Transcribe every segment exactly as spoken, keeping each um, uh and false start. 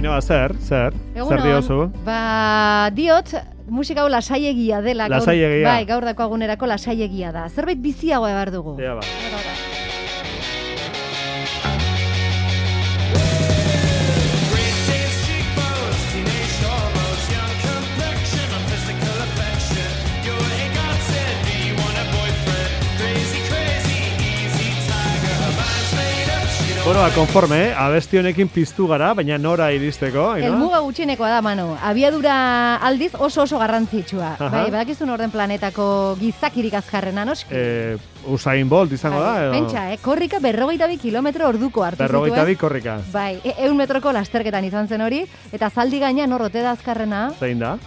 Ainhoa, zer, zer, zer diozu? Ba, diot, musika hau lasaiegia dela. Lasaiegia. Bai, gaur dako agunerako lasaiegia da. Zerbait biziagoa behar dugu. Ja, ba. Bueno, konforme, eh? Abesti honekin piztu gara, baina nora iristeko. Helmuga gutxienekoa da, Manu. Abiadura aldiz oso oso garrantzitsua. Aha. Bai, badakizun orden planetako gizakirik azkarrena, noski? Eh, Usain Bolt izango da, edo? Pentsa, eh? Korrika berrogeita bi kilometro orduko hartu zituen. Berrogeita bi korrika. Bai, e eun metroko lasterketan izan zen hori, eta zaldi gaina norrote da azkarrena. Zein da?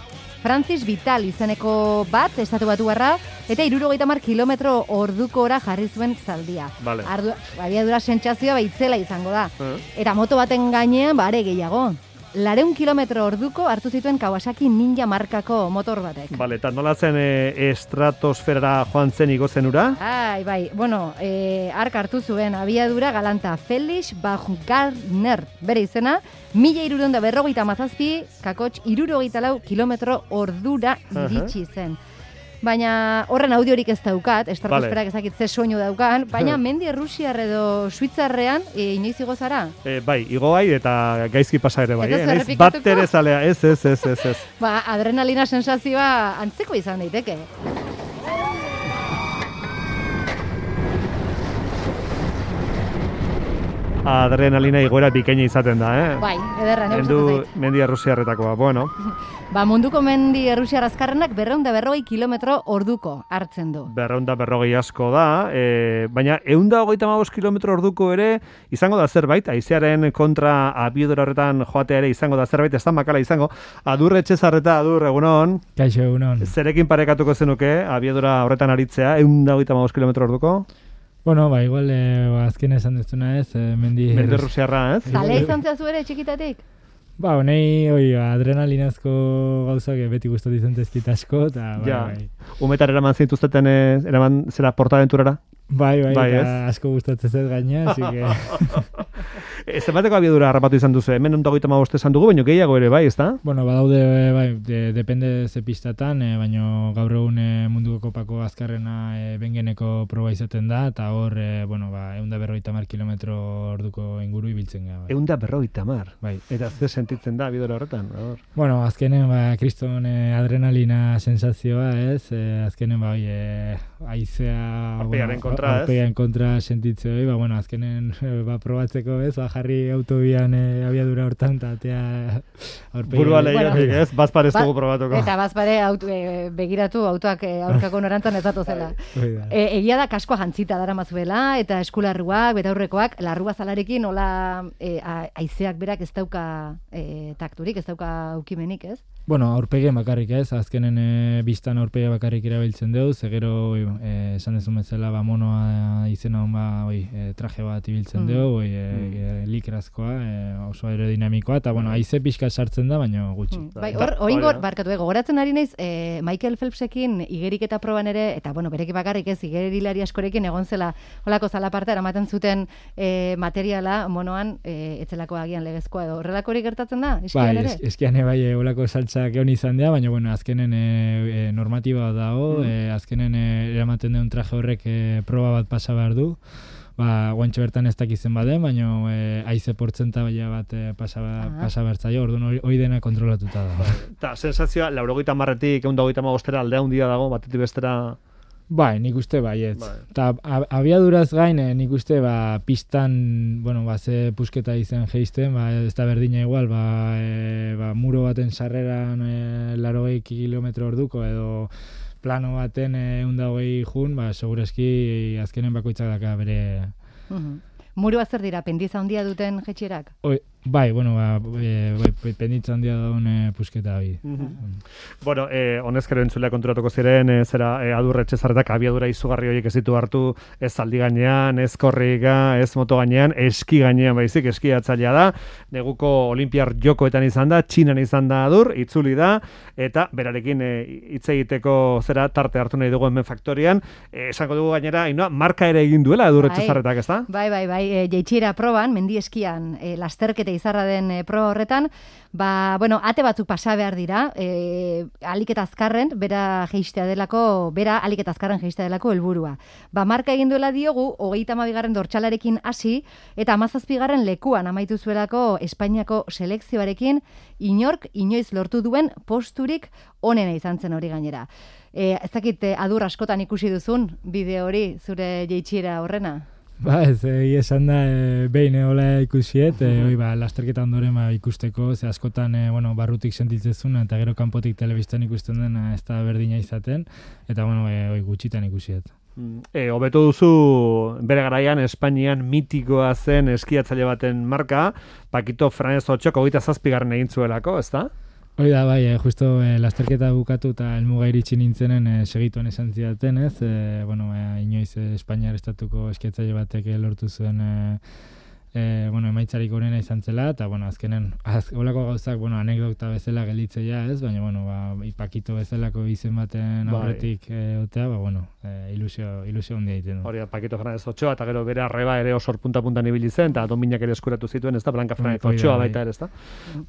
Francis Vital izeneko bat, estatu batu barra, eta irurogeita mar kilometro ordukora jarri zuen zaldia. Vale. Ardu, abiadura sentsazioa baitzela izango da. Uh. Eta moto baten gainean, bare gehiago. Lareun kilometro orduko hartu zituen Kawasaki Ninja markako motor batek. Vale, eta nola zen e, estratosferara joan zen igo zenura? Ai, bai, bueno, e, ark hartu zuen abiadura galanta Felix Baumgartner, bere izena, mila irureunda berrogeita mazazpi, kakotx irurogeita lau kilometro ordura iritsi zen. Baina horren audiorik ez daukat, estratosferak ezakit ze soinu daukan, baina mendi Errusiar edo Suitzarrean e, inoiz igo zara? E, bai, igo bai eta gaizki pasa ere bai. Ez duzu Eh? errepikatuko? Bat ere zalea, ez, ez, ez, ez, ez. Ba, adrenalina sensazioa antzeko izan daiteke. Adrenalina igoera bikaina izaten da, eh? Bai, ederra, ne Mendu, gustatzen zait. mendi errusiarretakoa, bueno. Ba, munduko mendi errusiar azkarrenak berreunda berrogei kilometro orduko hartzen du. Berreunda berrogei asko da, e, baina eunda hogeita hamabost kilometro orduko ere izango da zerbait, haizearen kontra abiadura horretan joatea ere izango da zerbait, ez da makala izango. Adur Etxezarreta, adur, egunon. Kaixo, egunon. Zerekin parekatuko zenuke abiadura horretan aritzea, eunda hogeita hamabost kilometro orduko? Bueno, ba, igual, eh, ba, azken esan duzuna ez, eh, mendi... Mendi Errusiarra, ez? Zale izan zehazu ere txikitatik? Ba, honei, oi, adrenalinazko gauzak beti gustatu izan tezkit asko, eta bai, Ja. bai. Umetan eraman zintuzteten, eh, eraman zera portaventurara? Bai, bai, Bai, eta ez? asko gustatzen zait gaina, así que... E, zenbateko abiadura harrapatu izan duzu, hemen eunda hogeita hamabost esan dugu, baina gehiago ere, bai, ezta? Bueno, badaude, bai, de, depende ze pistatan, eh, baina gaur egun eh, munduko kopako azkarrena eh, bengeneko proba izaten da, eta hor, eh, bueno, ba, eunda berrogeita hamar kilometro orduko inguru ibiltzen gara. Bai. Eunda berrogeita hamar. Bai. Eta ze sentitzen da abiadura horretan? Hor. Bueno, azkenen, ba, kriston eh, adrenalina sensazioa, ez? Eh, azkenen, ba, oi, eh, aizea... Aurpegiaren kontra, ez? Aurpegiaren kontra sentitzea, oi, ba, bueno, azkenen, eh, ba, probatzeko, ez? Ba, jarri autobian eh, abiadura hortan, eta atea aurpegiaren... Burua lehiatik, Bueno. ez? Bazpar ez Ba- dugu probatuko. Eta bazpare auto, e, begiratu autoak e, aurkako norantzan ez datozela. Hoi da. E, egia da kaskoa jantzita dara mazuela, eta eskularruak, betaurrekoak, larrua zalarekin, hola e, a- haizeak berak ez dauka e, takturik, ez dauka aukimenik, ez? Bueno, aurpegien bakarrik ez, azkenen e, biztan aurpegia bakarrik erabiltzen dugu, ze gero, oi, e, esan dezun bezala, ba, monoa izena hon ba, oi, e, traje bat ibiltzen Mm. dugu, oi, e, e, likrazkoa, e, oso aerodinamikoa, eta, bueno, haize pixka sartzen da, baina gutxi. Mm. Bai, Da- hor, hori oingor, da. barkatu, eh, gogoratzen ari naiz, e, Michael Phelpsekin igeriketa proban ere, eta, bueno, bereki bakarrik ez, igerilari askorekin egon zela, holako zalaparta, eramaten zuten e, materiala, monoan, e, etzelako agian legezkoa edo, horrelakorik gertatzen da, eskian Bai, ere? es, eskian bai, e, olako saltzak egon izan dira, baina, bueno, azkenen e, e, normatiba dago, Mm. e, azkenen e, eramaten duen traje horrek e, proba bat pasa behar du, ba, guantxo bertan ez dakizen baden, baina e, haize portzentaia bat e, pasa, Ah. pasa behar zaio, orduan hori- hori dena kontrolatuta da. Eta sensazioa, laurogeita hamarretik eunda hogeita hamabostera aldea handia dago, batetik bestera... Bai, nik uste baietz. Bai. Eta ab- abiaduraz gain, eh, nik uste ba, pistan, bueno, ba, ze pusketa izan geizten, ba, ez da berdina igual, ba, e, ba, muro baten sarreran e, larogei kilometro orduko, edo plano baten eunda hogei jun, ba, segurazki azkenen bakoitzak daka bere... Mhm. Murua zer dira, pendiza handia duten jetxerak? Oi, bai, bueno, ba, e, bai, penditza handia daun e, pusketa hori. Bueno, eh, honezkero entzulea konturatuko ziren, eh, zera eh, adur Etxezarretak abiadura izugarri horiek ez ditu hartu, ez zaldi gainean, ez korrika, ez moto gainean, eski gainean baizik, eskiatzailea da, neguko olimpiar jokoetan izan da, Txinan izan da adur, itzuli da, eta berarekin eh, hitz egiteko zera tarte hartu nahi dugu hemen faktorian, eh, esango dugu gainera, Ainhoa, marka ere egin duela adur Bai. Etxezarretak, ezta? Bai, bai, bai, e, jeitxiera proban, mendi eskian, e, lasterketa izarra den e, proba horretan, ba, bueno, ate batzuk pasa behar dira, e, alik eta azkarren, bera jeistea delako, bera alik eta azkarren jeistea delako helburua. Ba, marka egin duela diogu, hogeita hamabigarren dortsalarekin hasi, eta hamazazpigarren lekuan amaitu zuelako Espainiako selekzioarekin, inork inoiz lortu duen posturik onena izan zen hori gainera. E, ez dakit, e, adur askotan ikusi duzun bideo hori, zure jeitsiera horrena? Ba, ez, egia esan da, e, behin hola ikusiet, e, oi, ba, lasterketa ondoren ba, ikusteko, ze askotan, e, bueno, barrutik sentitzezuna, eta gero kanpotik telebistan ikusten dena ez da berdina izaten, eta, bueno, e, oi, gutxitan ikusiet. E, hobeto duzu bere garaian Espainian mitikoa zen eskiatzaile baten marka, Pakito Franez Otxok hogeita zazpigarren egin zuelako, ez da? Hori da, bai, eh, justo eh, lasterketa bukatu eta helmuga iritsi nintzenen eh, segituan esan zidaten, ez? Eh, bueno, eh, inoiz eh, Espainiar estatuko eskiatzaile batek eh, lortu zuen eh, eh, bueno, emaitzarik onena izan zela, eta, bueno, azkenen, az, olako gauzak, bueno, anekdota bezala gelditzea, ez? Baina, bueno, ba, Pakito bezalako izen baten aurretik eh, otea, ba, bueno, eh, ilusio, ilusio handia egiten du. Hori da, Pakito Franez Otxoa, eta gero bere arreba ere osor punta-puntan ibili zen, eta dominak ere eskuratu zituen, ez da, Blanca Franez Otxoa baita ere, ez da?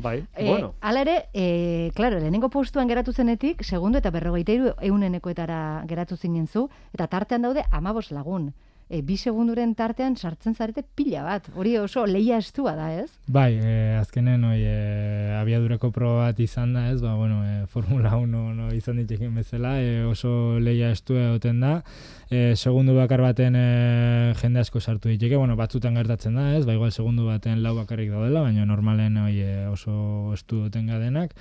Bai, e, bueno. Hala ere, e, klaro, lehenengo postuan geratu zenetik, segundo eta berrogeita hiru eunenekoetara geratu zinen zu, eta tartean daude amabos lagun. E, bi segunduren tartean sartzen zarete pila bat. Hori oso lehia estua da, ez? Bai, e, azkenen oi, e, abiadurako proba bat izan da, ez? Ba, bueno, e, Formula uno no, izan ditzekin bezala, e, oso lehia estua egoten da. E, segundu bakar baten e, jende asko sartu diteke, bueno, batzutan gertatzen da, ez? Ba, igual segundu baten lau bakarrik daudela, baina normalen oi, e, oso estu duten gadenak.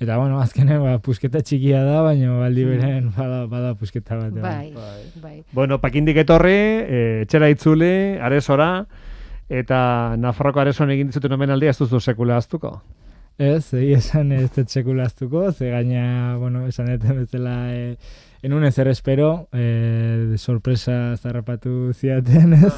Eta, bueno, azkenen, ba, pusketa txikia da, baina baldi beren bada, bada pusketa bat. Bai, bai, bai. Bueno, pakindik etorri, e, etxera itzuli, aresora, eta Nafarroko aresoan egin dizuten omenaldia ez duzu sekula aztuko? Ez, egia esan ez dut sekula aztuko, ze gaina, bueno, esan eten bezala, e, enun ezer espero, e, sorpresa zarrapatu ziaten, ez?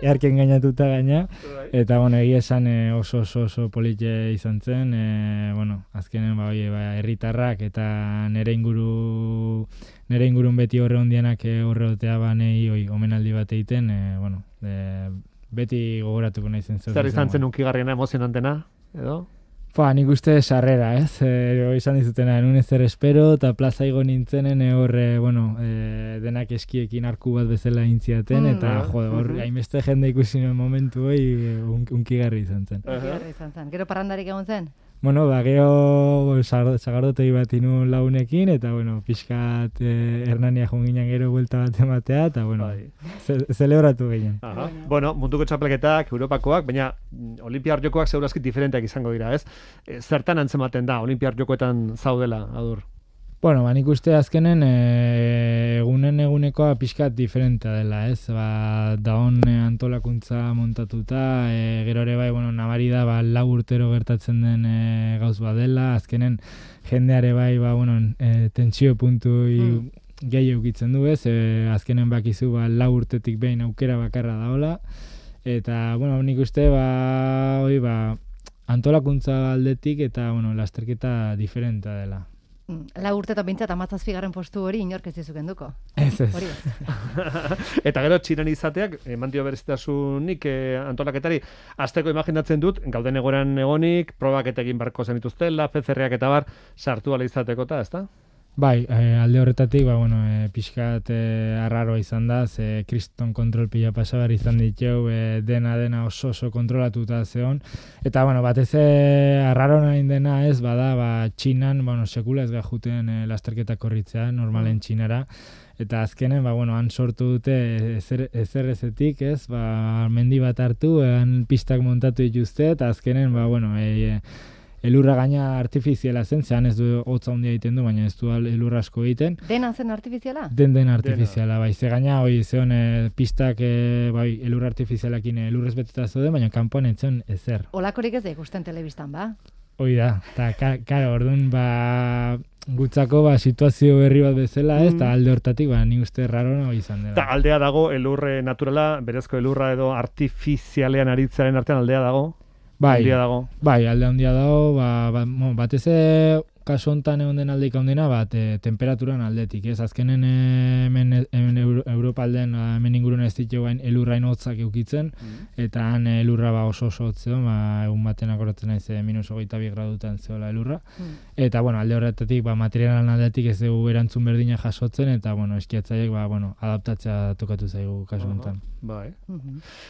Earken gainatuta gaina. Eta, bueno, egia esan e, oso oso oso polite izan zen, e, bueno, azkenen, ba, oie, ba, herritarrak eta nere inguru, nere ingurun beti horre hondianak horre otea banei, oi, omenaldi bat egiten, e, bueno, e, beti gogoratuko nahi zen. Zer izan zen unkigarriena, emozionantena, edo? Ba, nik uste sarrera, ez? E, izan dizutena, enun ezer espero, eta plaza igo nintzenen, e, horre, bueno, e, denak eskiekin arku bat bezala intziaten, mm, eta, uh, jode, hor, uh-huh. hainbeste jende ikusi nuen momentu hoi, un, unkigarri izan zen. Unkigarri izan zen. Gero parrandarik egon zen? Bueno, ba, gero sagardotegi bat inun launekin, eta, bueno, pixkat eh, Hernania jonginan gero buelta bat ematea, eta, bueno, ze, zelebratu ginen. Aha. Bueno, munduko txapelketak, Europakoak, baina Olimpiar Jokoak zeurazkit diferenteak izango dira, ez? E, zertan antzematen da, Olimpiar Jokoetan zaudela, Adur? Bueno, ba, nik uste azkenen e, egunen egunekoa pixkat diferentea dela, ez? Ba, daon e, antolakuntza montatuta, e, gero ere bai, bueno, nabari da, ba, lau urtero gertatzen den e, gauz badela, azkenen jendeare bai, ba, bueno, e, tentsio puntu mm. gehi eukitzen du, ez? E, azkenen bakizu, ba, lau urtetik behin aukera bakarra daola, eta, bueno, nik uste, ba, oi, ba, antolakuntza aldetik eta, bueno, lasterketa diferentea dela. Lau urte eta bintzat amazazpigarren postu hori inork ez dizu kenduko. Ez ez. Hori ez. Eta gero txinan izateak, eman dio berezitasunik eh, antolaketari, azteko imaginatzen dut, gauden egoran egonik, probak eta egin barko zenituztela, P C R-ak eta bar, sartu ala izateko eta, ezta? Bai, e, alde horretatik, ba, bueno, e, pixkat e, arraroa izan da, ze kriston kontrol pila pasabar izan ditu, e, dena dena oso oso kontrolatuta zeon. Eta, bueno, batez arraro nahi dena ez, bada, ba, Txinan, bueno, sekula ez gajuten e, lasterketa korritzea, normalen Txinara. Eta azkenen, ba, bueno, han sortu dute ezer, ezer ezetik, ez, ba, mendi bat hartu, han pistak montatu dituzte, eta azkenen, ba, bueno, e, e, elurra gaina artifiziala zen, zehan ez du hotza handia egiten du, baina ez du elurra asko egiten. Dena zen artifiziala? Den den artifiziala, bai. Ze gaina, hoi, zeon, e, pistak, e, bai, elurra artifizialakin elurrez beteta zode, baina kanpoan etzen ezer. Olakorik ez da ikusten telebistan, ba? Hoi da, eta, karo, orduan, ba, gutzako, ba, situazio berri bat bezala, ez, eta mm. alde hortatik, ba, ni uste rarona hoi izan dela. Eta aldea dago, elurre naturala, berezko elurra edo artifizialean aritzearen artean aldea dago? Bai, dago. bai, alde handia dago, ba, ba, bon, batez kasu honetan egon den aldeik handena, bat, e, temperaturan aldetik, ez? Azkenen hemen, hemen Euro, espalden, hemen ingurune ez ditu gain elurrain hotzak eukitzen, eta han elurra ba oso oso hotzeon, ba, egun baten akoratzen naiz minus hogeita bi gradutan zeola elurra. Eta, bueno, alde horretatik, ba, materialan aldetik ez dugu erantzun berdina jasotzen, eta, bueno, eskiatzaileek, ba, bueno, adaptatzea tokatu zaigu kasu honetan. Bai.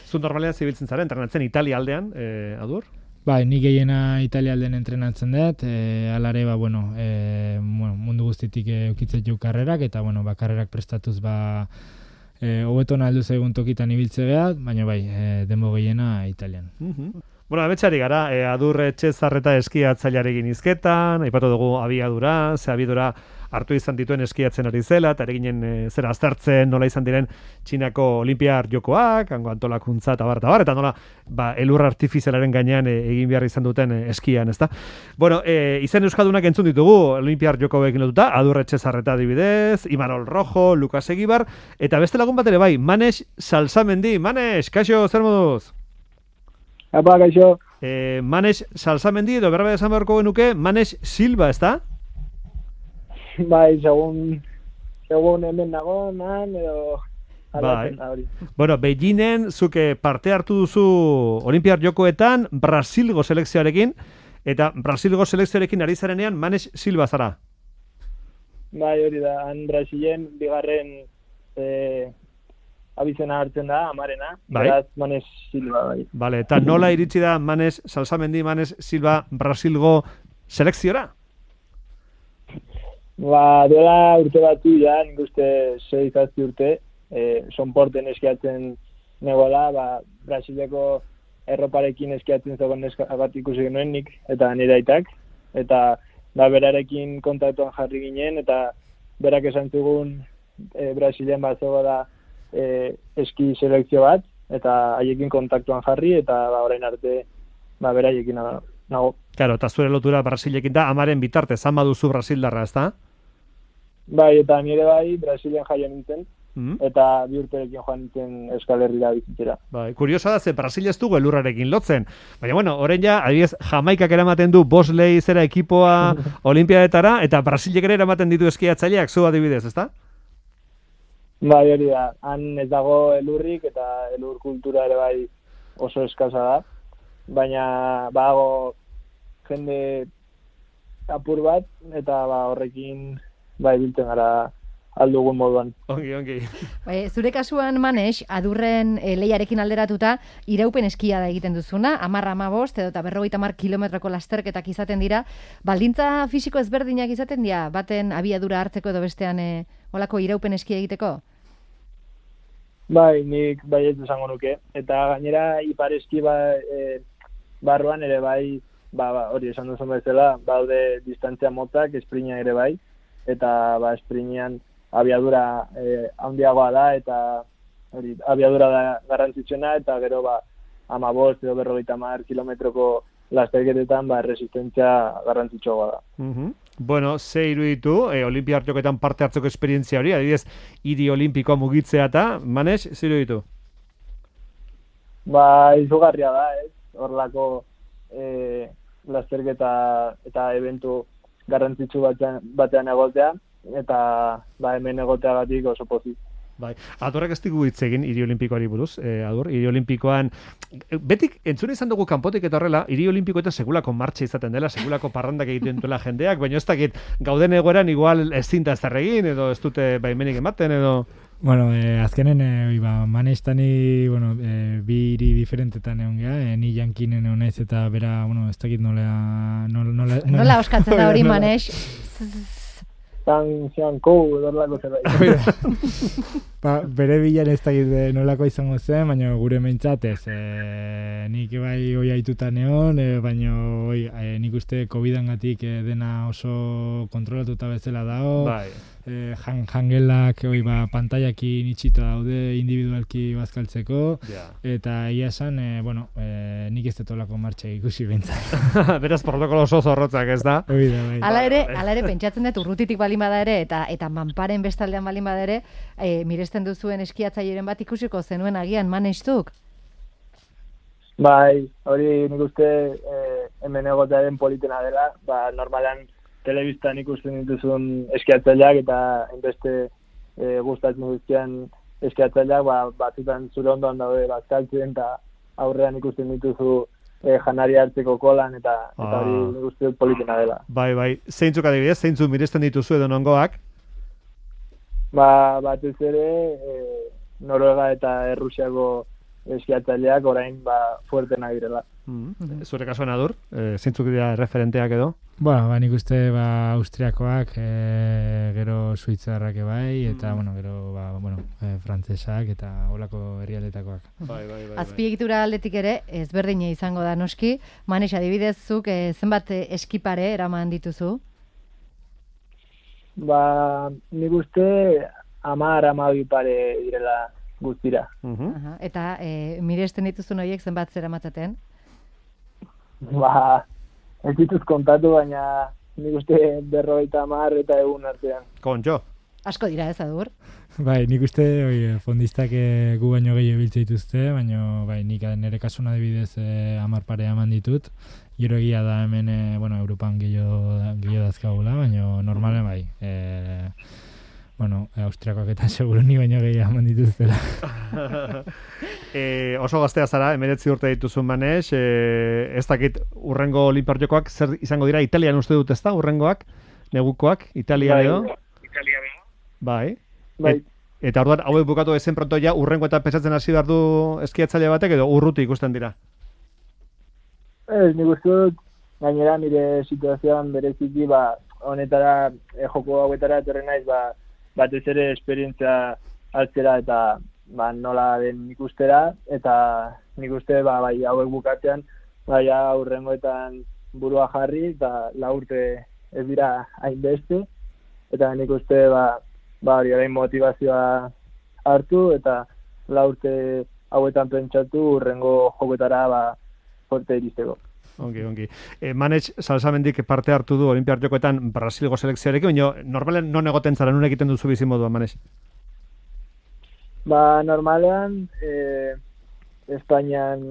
Zu normalean zibiltzen zara, entrenatzen Italia aldean, eh, Adur? Bai, nik gehiena Italia aldean entrenatzen dut, e, alare, ba, bueno, e, bueno, mundu guztitik eukitzen jau karrerak, eta, bueno, ba, karrerak prestatuz, ba, e, hobetona aldu zaigun tokitan ibiltze geha, baina bai, e, denbo gehiena Italian. Uh-huh. Bueno, abetxari gara, e, Adur Etxezarreta eskiatzailearekin izketan, aipatu dugu abiadura, ze abiadura hartu izan dituen eskiatzen ari zela, eta ere ginen e, zera aztertzen nola izan diren Txinako Olimpiar jokoak, hango antolakuntza eta bar, eta bar, eta nola ba, elur artifizialaren gainean e, egin behar izan duten e, eskian, ezta? Bueno, e, izen euskaldunak entzun ditugu Olimpiar jokoekin lotuta, Adur Etxezarreta adibidez, Imanol Rojo, Lukas Egibar, eta beste lagun bat ere bai, Manes Salsamendi. Manes, kaixo, zer moduz? Apa, kaixo. E, Manes Salsamendi, edo berba esan beharko genuke, Manes Silva, ezta? Bai, segun, segun hemen nago, man, edo... Bai. Bueno, Beijingen zuke parte hartu duzu Olimpiar jokoetan Brasilgo selekzioarekin, eta Brasilgo selekzioarekin ari zarenean Manes Silva zara. Bai, hori da, han Brasilen bigarren e, abizena hartzen da, amarena, bai. Beraz Manes Silva, bai. Vale, eta nola iritsi da Manes Salsamendi, Manes Silva Brasilgo selekziora? Ba, duela urte batu ja, nik uste sei zazpi urte, e, sonporten eskiatzen negola, ba, Brasileko erroparekin eskiatzen zegoen neska bat ikusi genuen nik, eta nire aitak, eta ba, berarekin kontaktuan jarri ginen, eta berak esan zugun e, Brasilen bat zegoela e, eski selekzio bat, eta haiekin kontaktuan jarri, eta ba, orain arte ba, beraiekin nago. Claro, eta zure lotura Brasilekin da, amaren bitarte, zan baduzu Brasildarra, ez da? Bai, eta nire bai, Brasilen jaio nintzen, mm. eta bi urterekin joan nintzen Euskal Herrira bizitzera. Bai, kuriosa da, ze Brasil ez dugu elurrarekin lotzen. Baina, bueno, orain ja, adibidez, Jamaikak eramaten du Bosley zera ekipoa Olimpiadetara, eta Brasilek ere eramaten ditu eskiatzaileak, zu adibidez, ezta? Bai, hori da, han ez dago elurrik, eta elur kultura ere bai oso eskasa da, baina bago jende apur bat, eta ba, horrekin bai biltzen gara aldugun moduan. Ongi, ongi. E, zure kasuan, Manes, Adurren e, lehiarekin alderatuta, iraupen eskia da egiten duzuna, amarra amabost, edo eta berrogeita hamar kilometroko lasterketak izaten dira. Baldintza fisiko ezberdinak izaten dira, baten abiadura hartzeko edo bestean e, olako iraupen eskia egiteko? Bai, nik bai ez esango nuke. Eta gainera, ipar eski ba, e, barruan ere bai, ba, ba, hori esan duzun bezala, baude distantzia motzak, esprina ere bai, eta ba, esprinean abiadura eh, handiagoa da, eta hori, abiadura da garrantzitsuena, eta gero ba, amabost edo berrogeita hamar kilometroko lasterketetan ba, resistentzia garrantzitsuagoa da. Uh-huh. Bueno, ze iruditu, eh, Olimpiar jokoetan parte hartzeko esperientzia hori, adibidez, hiri olimpikoa mugitzea eta, Manes, ze iruditu? Ba, izugarria da, ez? Horrelako eh, lasterketa eta eventu garrantzitsu batean, batean egotea, eta ba, hemen egoteagatik oso pozik. Bai, Adurrek ez digu hitz egin hiri olimpikoari buruz, eh, Adur, hiri olimpikoan, betik entzune izan dugu kanpotik eta horrela, hiri olimpikoetan segulako martxa izaten dela, segulako parrandak egiten duela jendeak, baina ez dakit gauden egoeran igual ez zinta ez egin, edo ez dute baimenik ematen, edo... Bueno, eh, azkenen, eh, ba, Manestani, bueno, eh, bi hiri diferentetan egon geha, eh, ni jankinen egon naiz eta bera, bueno, ez dakit nola... Nola, nola, nola, nola oskatzen da hori, Manes? Zan, zian, kou, edorlako zerbait. Ba, bere bilan ez dakit nolako izango zen, baina gure meintzat ez. E, nik bai hoi aituta neon, e, baina oi, e, nik uste covidangatik e, dena oso kontrolatuta bezala dago. Bai. E, jan, jangelak oi, ba, pantaiakin itxita daude individualki bazkaltzeko. Yeah. Eta egia esan, e, bueno, e, nik ez detolako martxa ikusi bintzat. Beraz, protokolo oso zorrotzak ez da? Hoi da, bai. Hala ere, hala ere, pentsatzen dut urrutitik balin bada ere, eta eta manparen bestaldean balin bada ere, e, miresten duzuen eskiatzaileren bat ikusiko zenuen agian Manestuk? Bai, hori nik uste eh, hemen egotearen politena dela, ba, normalan telebistan ikusten dituzun eskiatzaileak eta enbeste eh, gustatzen guztian eskiatzaileak ba, batzutan zure ondoan daude bazkaltzen eta aurrean ikusten dituzu e, janari hartzeko kolan eta eta Ah. hori nik uste dut politena dela. Bai, bai. Zeintzuk adibidez, zeintzuk miresten dituzu edo nongoak? Ba, batez ere e, Noruega eta Errusiako eskiatzaileak orain ba, fuertenak direla. Mm. Zure kasuan adur, e, zeintzuk dira referenteak edo? Bueno, ba, nik uste ba, Austriakoak, e, gero Suitzarrak bai, eta, bueno, gero, ba, bueno, e, frantsesak eta holako herrialdetakoak. Bai, bai, bai. Azpiegitura aldetik ere, ezberdina izango da noski. Manex, adibidez, zuk eh, zenbat eh, eskipare eraman dituzu? Ba, nik uste hamar hamabi pare direla guztira. Mhm. Aha. Eta eh, miresten dituzun horiek zenbat zera matzaten? Ba, ez dituz kontatu, baina nik uste berrogeita hamar eta egun artean. Kontxo. Asko dira ez, Adur? Bai, nik uste oi, fondistak e, gu baino gehiago biltze dituzte, baina bai, nik nire kasuna adibidez e, hamar pare eman ditut. Gero egia da hemen, e, bueno, Europan gehiago, gehiago dazkagula, baina normalen bai. E, bueno, Austriakoak eta seguro ni baino gehiago eman dituztela. e, oso gaztea zara, emeretzi urte dituzun Manex, e, ez dakit urrengo Olinpiar zer izango dira, Italian uste dut ez da, urrengoak, negukoak, Italia Bai, edo? Italia Bai. Bai. Et, eta orduan, hauek bukatu ezen pronto ja, urrengo eta pesatzen hasi behar du eskiatzaile batek edo urruti ikusten dira? Ez, nik uste dut, gainera nire situazioan bereziki, ba, honetara, e, joko hauetara etorri naiz, ba, batez ere esperientzia hartzera eta ba, nola den ikustera, eta nik uste ba, bai, hauek bukatzean, bai, aurrengoetan burua jarri, eta la urte ez dira hainbeste, eta nik uste ba, ba, hori orain motivazioa hartu, eta la urte hauetan pentsatu urrengo joketara ba, fuerte iristeko. Ongi, ongi. E, Manex, salsamendik parte hartu du Olimpiar Jokoetan Brasilgo selekzioarekin, baina normalen non egoten zara, nun egiten duzu bizimodua, Manex? Ba, normalean, e, Espainian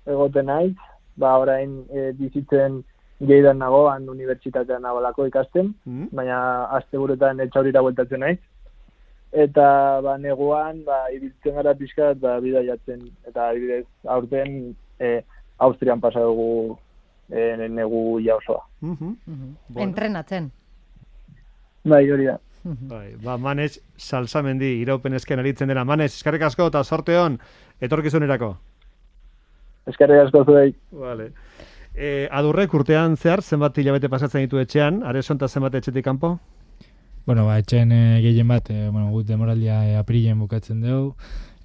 egoten naiz, ba, orain e, bizitzen Geidan nago, han unibertsitatean nagolako ikasten, Mm. baina asteburuetan etxaurira bueltatzen naiz. Eta ba, neguan, ba, ibiltzen gara pixkat, ba, bidaiatzen, eta adibidez, aurten e, Austrian pasa dugu e, negu ja osoa. Mhm. Bueno. Entrenatzen. Bai, hori da. Bai, ba, Manex, salsamendi iraupen esken aritzen dena. Manex, eskarrik asko eta sorte hon, etorkizunerako. Eskerrik asko zuei. Vale. E, adurrek urtean zehar, zenbat hilabete pasatzen ditu etxean, Areson eta zenbat etxetik kanpo? Bueno, ba, etxen e, gehien bat, e, bueno, gut demoraldia e, apirilen bukatzen dugu,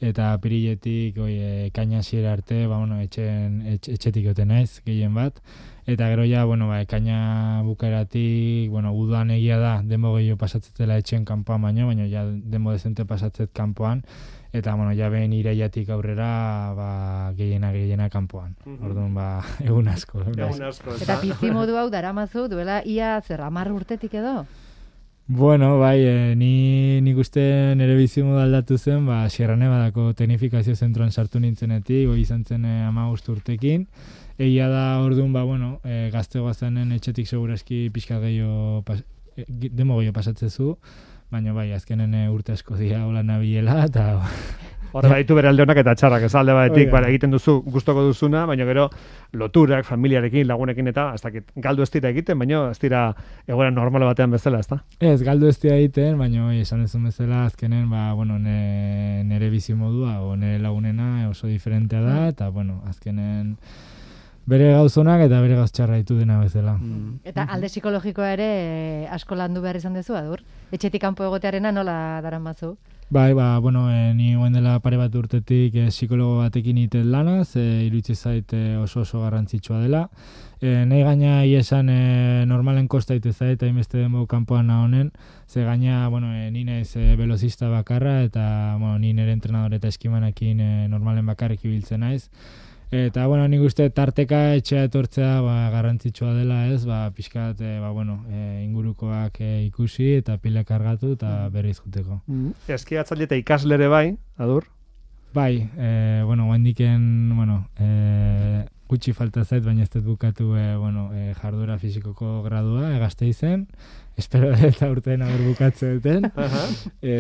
eta apiriletik oi, e, kaina hasiera arte, ba, bueno, etxen, etx, etxetik joten naiz, gehien bat. Eta gero ja, bueno, ba, kaina bukaeratik, bueno, udan egia da, demo gehiago pasatzetela etxen kanpoan baino, baina ja demo dezente pasatzet kanpoan, eta, bueno, ja behin iraiatik aurrera, ba, gehiena gehiena kanpoan. Mhm. Orduan, ba, egun asko. Egun asko. Eta bizimodu hau daramazu duela ia zer hamar urtetik edo? Bueno, bai, e, ni nik uste nire bizimodu aldatu zen, ba, Sierra Nevadako teknifikazio zentroan sartu nintzenetik, goi izan zen e, hamabost urtekin. Egia da orduan, ba, bueno, e, gaztegoa zenen etxetik segurazki pixka gehiago, pas, e, demo gehiago pasatzezu, baina bai, azkenen e, urte asko dira hola nabiela, eta... Horre baitu bere alde honak eta txarrak, ez alde batetik, Oiga. bara, egiten duzu gustoko duzuna, baina gero loturak, familiarekin, lagunekin eta, ez dakit, galdu ez dira egiten, baina ez dira egoera normal batean bezala, ez da? Ez, galdu ez dira egiten, baina oi, esan duzun bezala azkenen, ba, bueno, ne, nire bizimodua, o nire lagunena oso diferentea da, eta, bueno, azkenen bere gauzonak eta bere gauz txarra ditu dena bezala. Mm. Eta alde psikologikoa ere eh, asko landu behar izan dezu, Adur? Etxetik kanpo egotearena nola daramazu? Bai, ba, bueno, e, ni guen dela pare bat urtetik e, psikologo batekin iten lanaz, e, iruditzen zait e, oso oso garrantzitsua dela. E, nahi gaina iesan e, normalen kosta ite zait, hainbeste denbo kanpoan honen, ze gaina, bueno, e, ni naiz e, velozista bakarra, eta, bueno, ni nire entrenador eta eskimanakin e, normalen bakarrik ibiltzen naiz. Eta, bueno, nik uste tarteka etxea etortzea ba, garrantzitsua dela, ez, ba, pixkat, e, ba, bueno, e, ingurukoak e, ikusi eta pila kargatu eta berriz juteko. Mm. Eskiatzaile eta ikaslere bai, adur? Bai, e, bueno, guendiken, bueno, e, gutxi falta zait, baina ez dut bukatu e, bueno, e, jardura fizikoko gradua, egazte izen, espero eta urtean haber bukatze duten,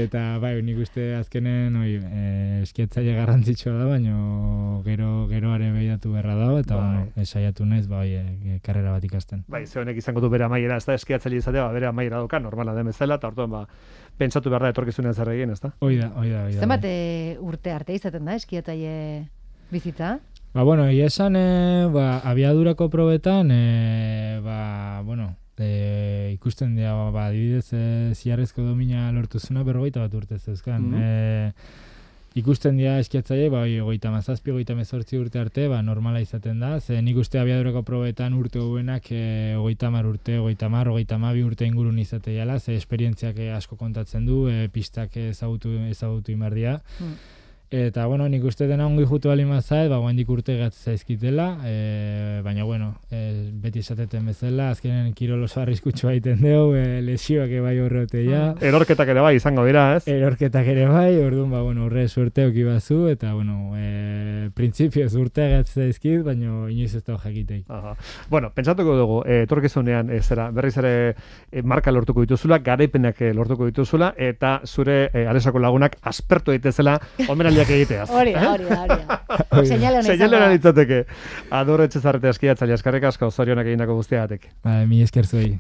eta bai, nik uste azkenen oi, e, eskiatzaile garrantzitsua da, baina gero, geroare behiatu berra dago, eta bai. Bueno, esaiatu naiz, bai, e, karrera bat ikasten. Bai, ze honek izango du bere amaiera, ez da, eskiatzaile izatea, ba, bere amaiera doka, normala den bezala, eta orduan, ba, pentsatu behar da etorkizunean zer egin, ez da? Oida, oida, oida. Zenbat urte arte izaten da eskiatzaile bizitza? Ba, bueno, egia esan, e, ba, abiadurako probetan, e, ba, bueno, e, ikusten dira, ba, adibidez, e, ziarrezko domina lortu zuna berrogeita bat urte zeuzkan. Mm -hmm. e, ikusten dira eskiatzaile, ba, hogeita mazazpi, hogeita mezortzi urte arte, ba, normala izaten da. Ze nik uste abiadurako probetan urte hobenak e, hogeita mar urte, hogeita mar, hogeita mabi urte ingurun izate jala, ze esperientziak asko kontatzen du, e, pistak ezagutu, ezagutu imardia. Mm. Eta, bueno, nik uste dena ongi jutu alimazait, ba, guandik urte gatz zaizkitela, e, baina, bueno, e, beti esateten bezala, azkenen kirol oso arriskutsu egiten dugu, e, lesioak ebai horrote ja. Erorketak ere bai izango dira, ez? Erorketak ere bai, orduan, ba, bueno, horre suerte oki bazu, eta, bueno, e, printzipioz urte gatz zaizkit, baina inoiz ez da jakiteik. Aha. Bueno, pentsatuko dugu, e, etorkizunean, e, zera, berriz ere e, marka lortuko dituzula, garaipenak lortuko dituzula, eta zure e, Alesako lagunak aspertu daitezela, omenaldi egiteaz. Hori, hori, hori. Seinale hona litzateke. Adur Etxezarreta eskiatzaile, eskerrik asko, zorionak egindako guztiagatik. Ba, mi esker zuei.